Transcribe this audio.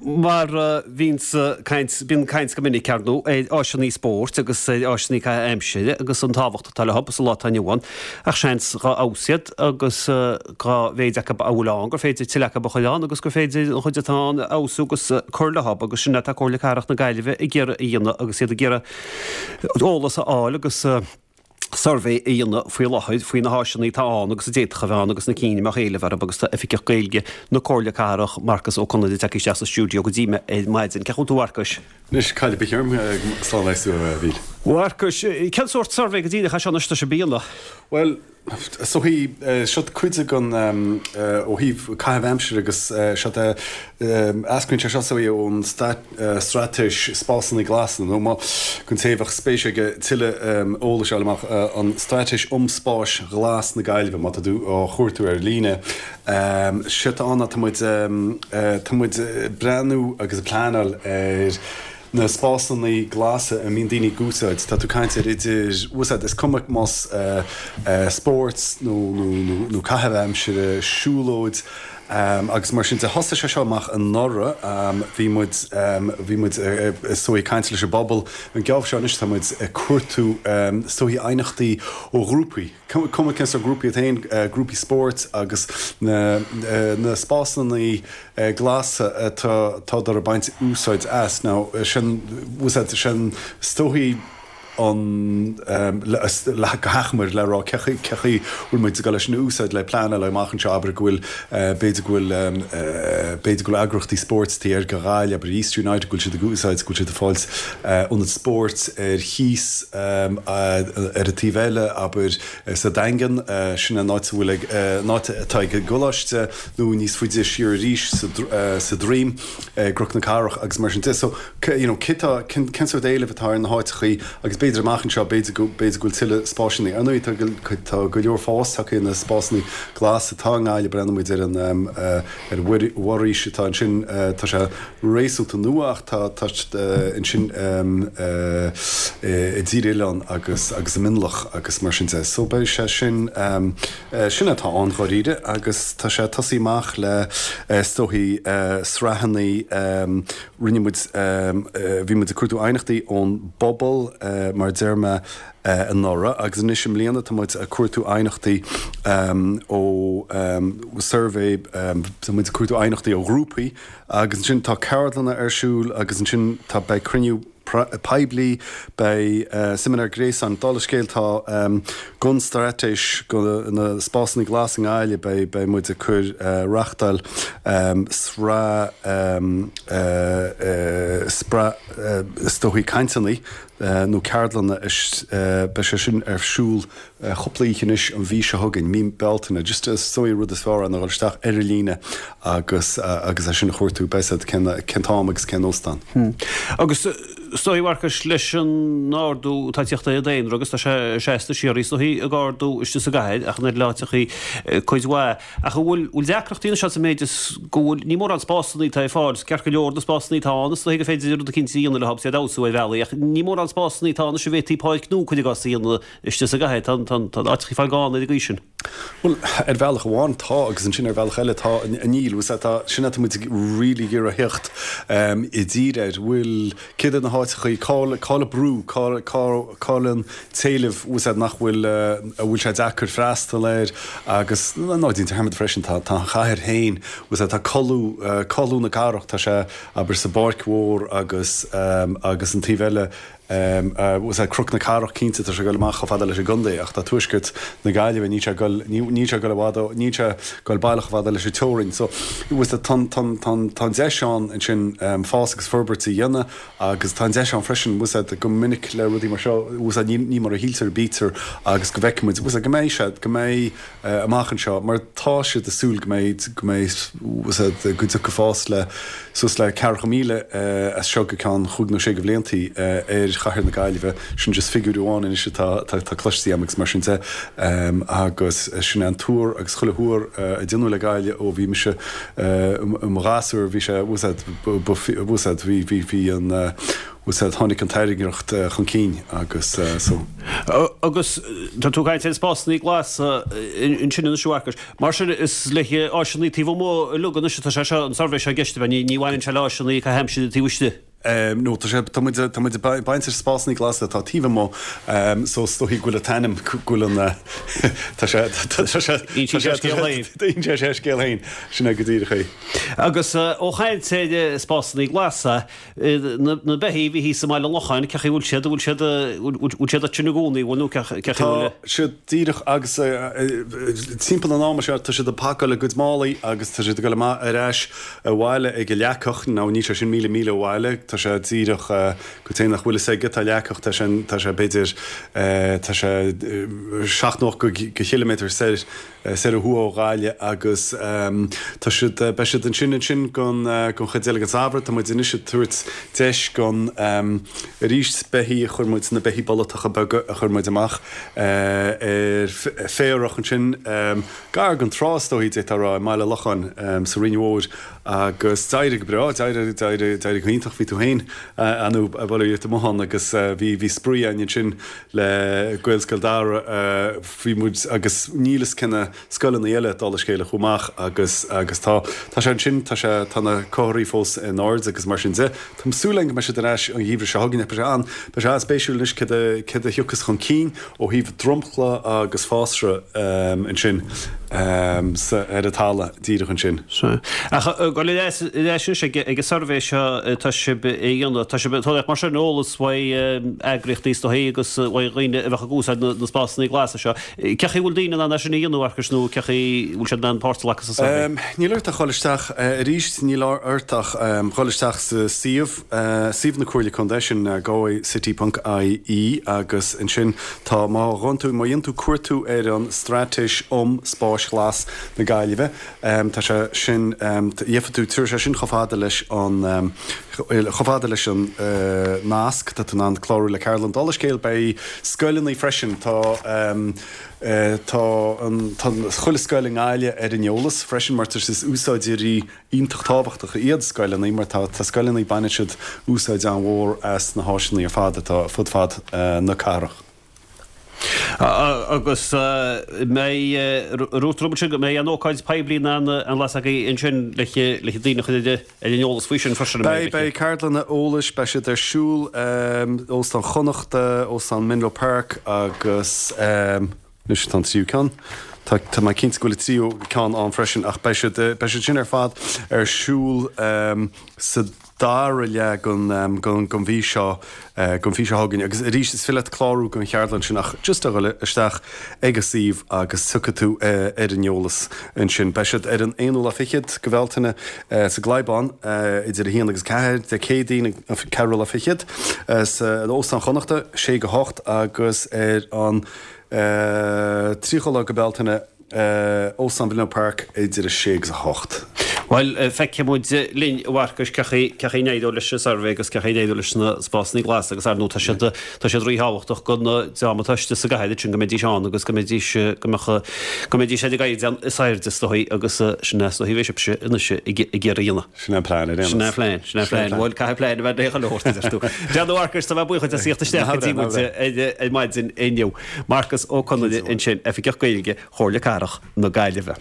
Mar a bhíonns caint, bíonn caint go minic, ar ndóigh, ar áiseanna spóirt agus ar áiseanna caitheamh aimsire agus an tábhacht atá leo sa lá atá inniu ann, ach seans dhá fheabhas iad agus dhá mhéid acu a bhfuil ann gur féidir tuilleadh acu a chur ann agus gur féidir an chuid atá ann a fheabhsú agus cur leo agus sin atá Comhairle Cathrach na Gaillimhe ag iarraidh a dhéanamh agus iad ag iarraidh eolas a fháil agus suirbhé a dhéanamh faoi láthair faoi na háiseanna atá ann agus a d'fhéadfadh a bheith ann agus na cinn a mbeadh éileamh orthu agus tá Oifigeach Gaeilge na Comhairle Cathrach, Marcus Ó Conaire, tagtha isteach sa stiúideo go dtí mé ar maidin. Cén chaoi a bhfuil tú a Mharcais? Anois, cad é ba cheart slán agus tú, a Mhíl. Mharcais, cén sórt suirbhé go díreach é seo anois atá sibh a dhéanamh? Bhuel, is dóichí, seo cuid den, ó thaobh caitheamh aimsire agus seo, eascraíonn sé seo is dóichí ón Straitéis Spásanna Glasa, nó má, don té a bheadh spéis aige tuilleadh eolais a fháil amach, an Straitéis um Spáis Ghlas na Gaillimhe, má tá tú á chuartú ar líne. Séard atá ann ná tá muid, tá muid ag breathnú agus ag pleanáil ar na spásanna glasa a mbíonn daoine ag úsáid. Tá tú ag caint ar idir, úsáid, is cuma más spórt nó, nó, nó caitheamh aimsire, siúlóid, Agus mar sin de, thosaigh sé seo amach anuraidh. Bhí muid, bhí muid is dóigh ag caint leis an bpobal. An geábh seo anois tá muid ag cuartú is dóigh aighneachtaí ó ghrúpaí, cuma cén sórt grúpaí iad féin, grúpaí spóirt agus na, na spásanna glasa atá, atádar ag baint úsáid as. Now sin, úsáid, sin is dóigh, an le go hachomair le rá cé chaoi cé chaoi bhfuil muid ag dul leis sin a úsáid le pleanáil amach anseo abair go bhfuil b'fhéidir go bhfuil b'fhéidir go bhfuil eagraíochtaí spóirt taobh thiar de Ghaillimh abair East United go bhfuil siad ag úsáid go bhfuil siad ag fáilt ionad spóirt ar chíos ar an taobh eile abair sa Daingean sin an áit a bhfuil ag an áit atá ag an gcoláiste nó níos faide siar arís sa sa Droim i gCnoc na Cathrach agus mar sin de so you know, cé tá, cén, cén sórt éilimh atá ar na háiteachaí agus b'fhéidir amach anseo, b'fhéidir go, b'fhéidir go bhfuil tuilleadh spásanna. Ar ndóigh, tá, tá go leor fás tagtha ar na spásanna glasa atá i nGaillimh, breathnaíonn muid ar an, ar an bhforaois atá ansin, tá sé réasúnta nua ach tá, tá ansin i dTír Oileáin agus, agus i Mionlach agus mar sin de. So beidh sé sin, sin atá ann dháiríre agus tá sé ag tosaí amach le, is dóichí, sraitheanna, Rinne muid, bhí muid ag cuartú aighneachtaí ón bpobal, mar a deir mé, anuraidh agus anois i mbliana tá muid ag cuartú aighneachtaí ó suirbhé, tá muid ag cuartú aighneachtaí ó ghrúpaí agus ansin tá ceardlanna ar siúl agus ansin tá, beidh cruinniú poiblí, beidh seimineár gréasáin. Dála scéil tá don straitéis do na spásanna glasa i nGaillimh, beidh beidh muid ag cur reáchtáil sraith sraith is dóichí cainteanna nó ceardlanna beidh sé sin ar siúl chúpla oíche anois an mhí seo chugainn, mí Bealtaine. Just is dóigh an rud is fearr ná dul isteach ar an líne agus agus é sin a chuartú, beidh a fhios agat cén cén t-am agus cén óstán. Agus is dóigh, a Mharcais, leis an ardú atá ag tíocht ar an daonra agus tá sé seasta síoraí is dóigh ag ardú istigh sa gcathair ach in oiread le áiteachaí cuid mhaith. Ach an bhfuil bhfuil deacrachtaí anseo sa méid is go bhfuil, ní mórán spásanna atá ar fáil, ceart go leor na spásanna atá ann is dóigh gur féidir rud eicínt a dhéanamh leo agus iad a fheabhsú ar bhealaí ach ní mórán spásanna atá ann anois a bhféadfaí páirc nua cuir i gcás a dhéanamh istigh sa gcathair. Tá tá áiteachaí fáil gann ar an gcaoi sin. Bhuel, ar bhealach amháin tá agus ansin ar bhealach eile tá, níl. Bhfuil a fhios agat, tá, sin atá muid ag really ag iarraidh theacht i dtír air. Bhfuil, céard iad na háiteachaí, cá bhfuil, cá bhfuil an brú, cá, cá, cá bhfuil an t-éileamh, bhfuil a fhios agat, nach bhfuil, a bhfuil sé deacair freastal air agus ná déan dearmad freisin, tá, tá an chathair féin, bhfuil a fhios agat, tá codladh, codladh na cathrach, tá sé, abair, sa bPáirc Mhór agus, agus an taobh eile, Bhfuil a fhios agat, Cnoc na Cathrach, cinnte, tá sé ag dul amach chomh fada leis an gcontae, ach tá tuaisceart na Gaillimhe, níl sé ag dul, níl sé ag dul i bhfad ó, níl sé ag dul baileach chomh fada leis an teorainn. So, bhfuil a fhios agat, tá, tá, tá, tá an deis ann ansin fás agus forbairt a dhéanamh agus tá an deis ann freisin, bhfuil a fhios agat, go minic le rudaí mar seo, bhfuil a fhios agat, ní, ní mar a shíltear a bítear agus go bhfeicfidh muid, bhfuil a fhios agat, go mbeidh sé, go mbeidh, amach anseo mar tá siad ag súil go mbeidh, go mbeidh, bhfuil a fhios agat, go dtiocfaidh fás le suas le 40,000 as seo go ceann chúig nó sé de bhliantaí ar chathair na Gaillimhe. Sin just figiúr amháin anois atá, atá cloiste agam agus mar sin de agus sin é an tuar agus chuile thuar a déanadh le Gaillimh ó bhí mise i mo ghasúr bhí sé, bhfuil a fhios agat, bhfuil a fhios agat, bhí, bhí, bhí an. Bhfuil a fhios agat, tháinig an tairngreacht chun cinn agus so. Agus tá tú ag caint ar spásanna glasa ansin anois a Mharcais. Mar sin is le áiseanna taobh amuigh uilig anois atá sé seo, an suirbhé seo i gceist, ab ea? Ní bhaineann sé le áiseanna caitheamh aimsire taobh istigh. No, tá sé, tá muid, tá muid ag baint ar spásanna glasa atá taobh amuigh, so is dóichí go bhfuil an t-ainm, go bhfuil an, tá sé, tá sé, Insíonn sé a scéal féin. Insíonn sé a scéal féin, sin é go díreach é. Agus ó chaint ar spásanna glasa, Na beithígh a bhí thíos i mBaile an Locháin, cén chaoi a bhfuil siad, an bhfuil siad, bhfuil siad ansin i gcónaí, bhfuil nó cén chaoi a bhfuil? Tá siad díreach agus timpeall an ama seo tá siad ag pacáil a gcuid málaí agus tá siad ag dul amach ar ais abhaile ag an Leacach, now níl sé sin míle míle ó bhaile, tá sé díreach go té nach bhfuil fhios aige tá Leacach, tá sé, tá sé b'fhéidir, tá sé 70 go chiliméadar soir soir ó thuaidh ó Ghaillimh agus tá siad, beidh siad ansin ansin don don chuid eile den samhradh. Tá muid anois ag tabhairt deis don arís beithígh a chuir muid, na beithígh bolatacha beaga a chuir muid amach ar féarach ansin gar don trá is dóichí d'fhéadfá a rá i mBaile Locháin sa Rinn Mhór agus d'éirigh go breá, d'éirigh, d'éirigh, d'éirigh go hiontach, bhí tú féin ann a bhuel amuigh ann agus bhí, bhí spraoi againn ansin le Gaelscoil Dara. Bhí muid agus níl fhios cé na scoileanna eile dála scéil a chuaigh amach agus agus tá tá sé ansin tá sé tá na comharthaí fós in airde agus mar sin de. Tá súil againn go mbeidh siad ar ais an gheimhreadh seo chugainn ach beidh sé an beidh sé an-spéisiúil anois céard a céard a thiocfas chun cinn ó thaobh dromchla agus fásra ansin sa ar an talamh díreach ansin. Sea. Ach dul ar ais ar ais anois ag ag an suirbhé seo atá sibh a dhéanamh tá sibh ag tabhairt mar sin eolas uaidh eagraíochtaí is dóichí agus uaidh dhaoine a bheadh ag úsáid na spásanna glasa seo. Cén chaoi a bhfuil daoine in ann é sin a dhéanamh, a Mharcais, nó cén chaoi a bhfuil siad in ann páirt a ghlacadh sa suirbhé? Níl ort ach dhul isteach arís, níl ort ach dhul isteach sa suíomh, suíomh na Comhairle Contae, sin galwaycity ponc ie agus ansin tá, má ghabhann tú, má dhéanann tú cuartú ar an Straitéis um Spáis Ghlas na Gaillimhe, Tá sé sin, gheobhaidh tú, tabharfaidh sé sin chomh fada leis an, chomh fada leis an nasc, tá tú in ann clárú le ceardlann. Dála scéil, beidh scoileanna freisin, tá, tá an, tá chuile scoil i nGaillimh ar an eolas freisin mar tá is úsáideoirí iontach tábhachtacha iad scoileanna mar tá, tá scoileanna, baineann siad úsáid an-mhór as na háiseanna ar fad atá fud fad na cathrach. Agus mbeidh, dúirt tú ansin go mbeidh an ócáid poiblí in ann an las agaibh ansin le daoine a chur ar an eolas faoi sin freisin, an mbeidh? Beidh, beidh ceardlanna eolais, beidh siad ar siúl, Óstán Chonnachta, Óstán Menlo Park agus anois tá an tríú ceann, tá, tá mé cinnte go bhfuil an tríú ceann ann freisin ach beidh siad, beidh siad sin ar fad ar siúl sa dara leath den mhí seo, den mhí seo chugainn. Agus arís, is féidir leat clárú don cheardlann sin ach just a dhul isteach ag an suíomh agus tiocfaidh tú ar an eolas ansin. Beidh siad ar an aonú lá fichead de Bhealtaine sa gClaidhbán idir 1 agus 4, Dé Céadaoin an ceathrú lá fichead san Óstán Chonnachta, 6 go 8 agus ar an 30ú lá de Bealtaine, Óstán Mheinneo Park idir 6 agus 8. Bhuel, feicfidh muid linn, a Mharcais, cén chaoi, cén chaoi a n-éireoidh leis an suirbhé agus cén chaoi a n-éireoidh leis na spásanna glasa agus ar ndóigh tá siad, tá siad ríthábhachtach don dream atá istigh sa gcathair ansin go mbeidís ann agus go mbeidís, go mbeadh, go mbeidís ar an gcaighdeán is airde is dóigh agus sin é is dóigh a bheidh sibhse anois ag iarraidh a dhéanamh. Sin é an plean ar aon nós. Sin é an plean, sin é an plean. Bhuel, caithfidh plean a bheith ag chuile shórt, a deir tú. Bhuel, a Mharcais, tá mé buíoch duit as theacht isteach go dtí muid ar maidin inniu. Marcas Ó Conaire ansin, Oifigeach Gaeilge Chomhairle Cathrach na Gaillimhe.